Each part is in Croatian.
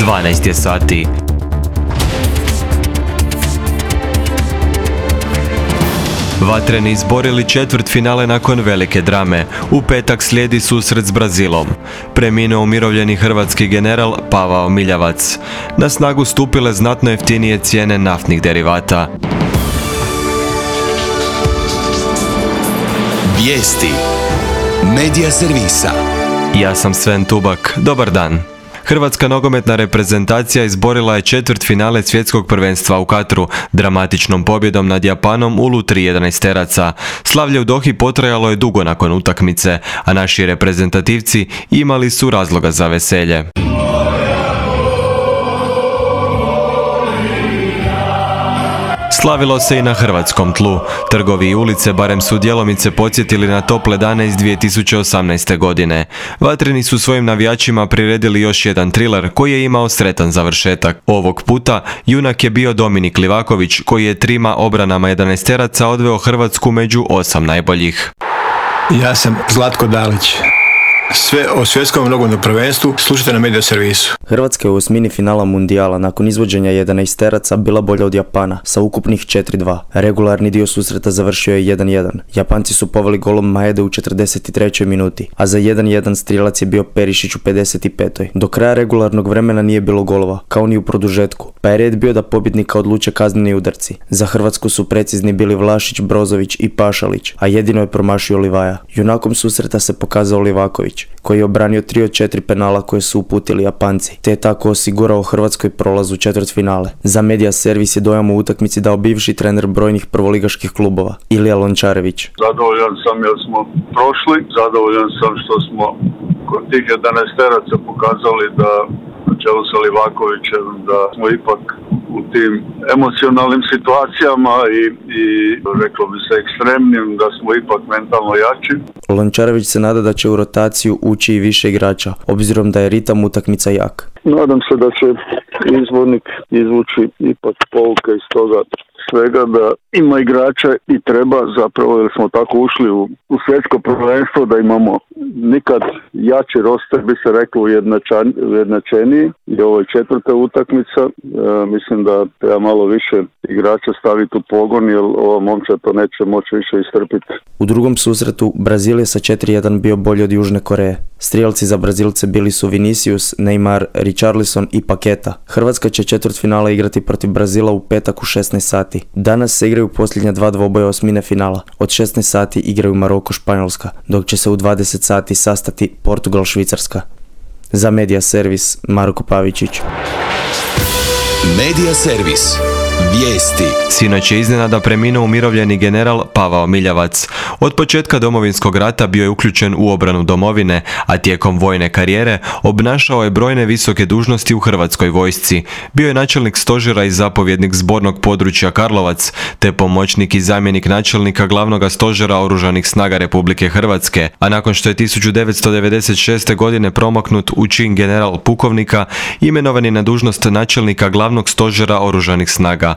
12 je sati. Vatreni izborili četvrtfinale nakon velike drame. U petak slijedi susret s Brazilom. Preminuo umirovljeni hrvatski general Pavao Miljavac. Na snagu stupile znatno jeftinije cijene naftnih derivata. Vijesti Medija servisa. Ja sam Sven Tubak. Dobar dan. Hrvatska nogometna reprezentacija izborila je četvrtfinale svjetskog prvenstva u Katru dramatičnom pobjedom nad Japanom u lutri 11-teraca. Slavlje u Dohi potrajalo je dugo nakon utakmice, a naši reprezentativci imali su razloga za veselje. Slavilo se i na hrvatskom tlu. Trgovi i ulice barem su djelomice podsjetili na tople dane iz 2018. godine. Vatreni su svojim navijačima priredili još jedan triler koji je imao sretan završetak. Ovog puta junak je bio Dominik Livaković koji je trima obranama 11-teraca odveo Hrvatsku među 8 najboljih. Ja sam Zlatko Dalić. Sve o svjetskom nogometnom prvenstvu slušajte na Medija servisu. Hrvatska je u osmini finala mundijala nakon izvođenja 11-teraca bila bolja od Japana sa ukupnih 4-2. Regularni dio susreta završio je 1-1. Japanci su poveli golom Maede u 43. minuti, a za 1-1 strijelac je bio Perišić u 55. Do kraja regularnog vremena nije bilo golova, kao ni u produžetku, pa je red bio da pobjednika odluče kazneni udarci. Za Hrvatsku su precizni bili Vlašić, Brozović i Pašalić, a jedino je promašio Livaja. Junakom susreta se pokazao Livaković, koji je obranio 3 od 4 penala koje su uputili Japanci, te je tako osigurao Hrvatskoj prolaz u četvrtfinale. Za Medija servis je dojam u utakmici dao bivši trener brojnih prvoligaških klubova, Ilija Lončarević. Zadovoljan sam jer smo prošli, zadovoljan sam što smo kod tih 11-teraca pokazali da na čelu sa Livakovićem da smo ipak u tim emocionalnim situacijama i reklo bi se ekstremnim, da smo ipak mentalno jači. Lončarević se nada da će u rotaciju ući i više igrača, obzirom da je ritam utakmica jak. Nadam se da će izbornik izvući ipak pouke iz toga svega, da ima igrača i treba zapravo, jer smo tako ušli u svjetsko prvenstvo da imamo nikad jači roster, bi se reklo, ujednačeniji. I ovo je četvrta utakmica. Mislim da treba malo više igrača staviti u pogon, jer ova momčad to neće moći više istrpiti. U drugom susretu Brazil je sa 4-1 bio bolji od Južne Koreje. Strijelci za Brazilce bili su Vinicius, Neymar, Richarlison i Paketa. Hrvatska će četvrtfinale igrati protiv Brazila u petak u 16 sati. Danas se igraju posljednja dva dvoboja osmine finala. Od 16 sati igraju Maroko Španjolska, dok će se u 20 sati sastati Portugal Švicarska. Za Medija servis Marko Pavičić. Medija servis. Vijesti. Sinoć je iznenada preminuo umirovljeni general Pavao Miljavac. Od početka Domovinskog rata bio je uključen u obranu domovine, a tijekom vojne karijere obnašao je brojne visoke dužnosti u Hrvatskoj vojsci. Bio je načelnik stožera i zapovjednik zbornog područja Karlovac, te pomoćnik i zamjenik načelnika glavnog stožera Oružanih snaga Republike Hrvatske, a nakon što je 1996. godine promaknut u čin general pukovnika, imenovan je na dužnost načelnika glavnog stožera Oružanih snaga.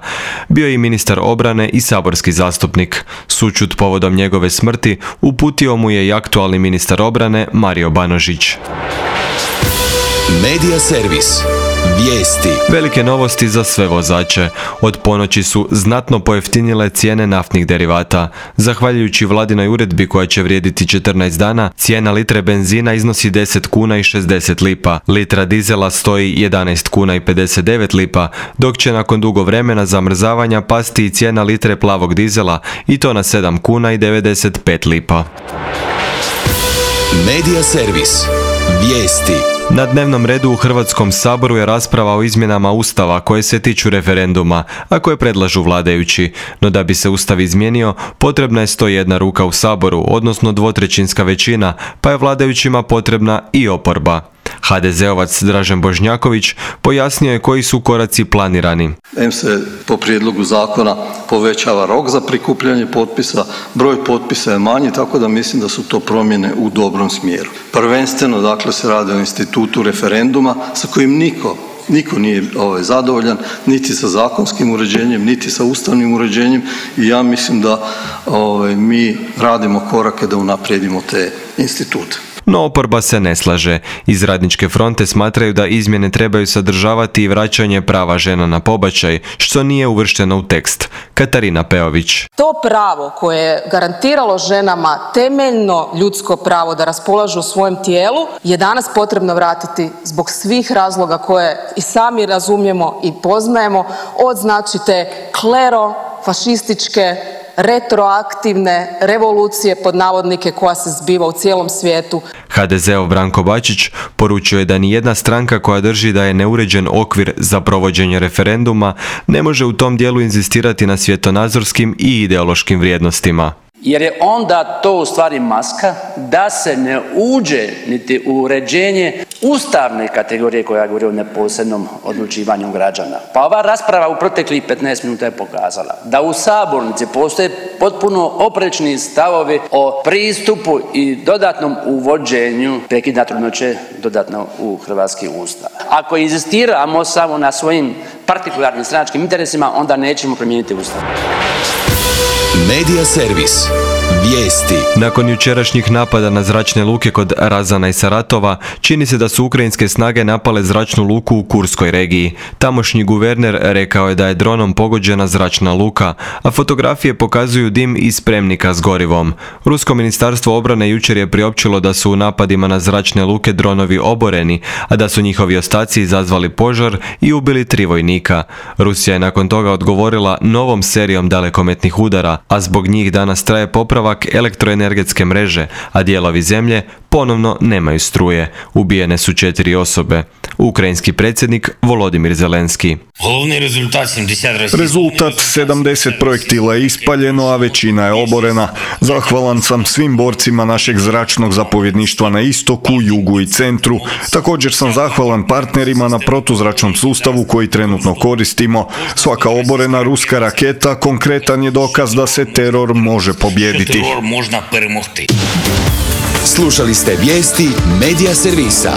Bio je i ministar obrane i saborski zastupnik. Sućut povodom njegove smrti uputio mu je i aktualni ministar obrane Mario Banožić. Medija servis. Vijesti. Velike novosti za sve vozače. Od ponoći su znatno pojeftinile cijene naftnih derivata. Zahvaljujući vladinoj uredbi koja će vrijediti 14 dana, cijena litre benzina iznosi 10 kuna i 60 lipa. Litra dizela stoji 11 kuna i 59 lipa, dok će nakon dugo vremena zamrzavanja pasti i cijena litre plavog dizela, i to na 7 kuna i 95 lipa. Medija servis. Vijesti. Na dnevnom redu u Hrvatskom saboru je rasprava o izmjenama Ustava koje se tiču referenduma, a koje predlažu vladajući. No da bi se Ustav izmijenio, potrebna je 101 ruka u saboru, odnosno 2/3 većina, pa je vladajućima potrebna i oporba. HDZ-ovac Dražen Bošnjaković pojasnio je koji su koraci planirani. Se po prijedlogu zakona povećava rok za prikupljanje potpisa, broj potpisa je manji, tako da mislim da su to promjene u dobrom smjeru. Prvenstveno, dakle, se radi o institutu referenduma sa kojim niko nije zadovoljan, niti sa zakonskim uređenjem, niti sa ustavnim uređenjem, i ja mislim da mi radimo korake da unaprijedimo te institute. no oporba se ne slaže. Iz Radničke fronte smatraju da izmjene trebaju sadržavati i vraćanje prava žena na pobačaj, što nije uvršteno u tekst. Katarina Peović. To pravo koje je garantiralo ženama temeljno ljudsko pravo da raspolažu svojem tijelu je danas potrebno vratiti zbog svih razloga koje i sami razumijemo i poznajemo, od znači te klerofašističke retroaktivne revolucije pod navodnike koja se zbiva u cijelom svijetu. HDZ-ov Branko Bačić poručio je da ni jedna stranka koja drži da je neuređen okvir za provođenje referenduma ne može u tom dijelu inzistirati na svjetonazorskim i ideološkim vrijednostima. Jer je onda to u stvari maska da se ne uđe niti u uređenje ustavne kategorije koja govori o neposrednom odlučivanju građana. Pa ova rasprava u proteklih 15 minuta je pokazala da u sabornici postoje potpuno oprečni stavovi o pristupu i dodatnom uvođenju prekida trudnoće dodatno u hrvatski ustav. Ako inzistiramo samo na svojim partikularnim stranačkim interesima, onda nećemo promijeniti ustav. Medija servis. Vijesti. Nakon jučerašnjih napada na zračne luke kod Razana i Saratova, čini se da su ukrajinske snage napale zračnu luku u Kurskoj regiji. Tamošnji guverner rekao je da je dronom pogođena zračna luka, a fotografije pokazuju dim iz spremnika s gorivom. Rusko ministarstvo obrane jučer je priopćilo da su u napadima na zračne luke dronovi oboreni, a da su njihovi ostaci izazvali požar i ubili 3 vojnika. Rusija je nakon toga odgovorila novom serijom dalekometnih udara, a zbog njih danas traje popravak elektroenergetske mreže, a dijelovi zemlje ponovno nemaju struje. Ubijene su 4 osobe. Ukrajinski predsjednik Volodimir Zelenski. Rezultat 70 projektila je ispaljeno, a većina je oborena. Zahvalan sam svim borcima našeg zračnog zapovjedništva na istoku, jugu i centru. Također sam zahvalan partnerima na protuzračnom sustavu koji trenutno koristimo. Svaka oborena ruska raketa konkretan je dokaz da se teror može pobijediti. Slušali ste vijesti Medija servisa.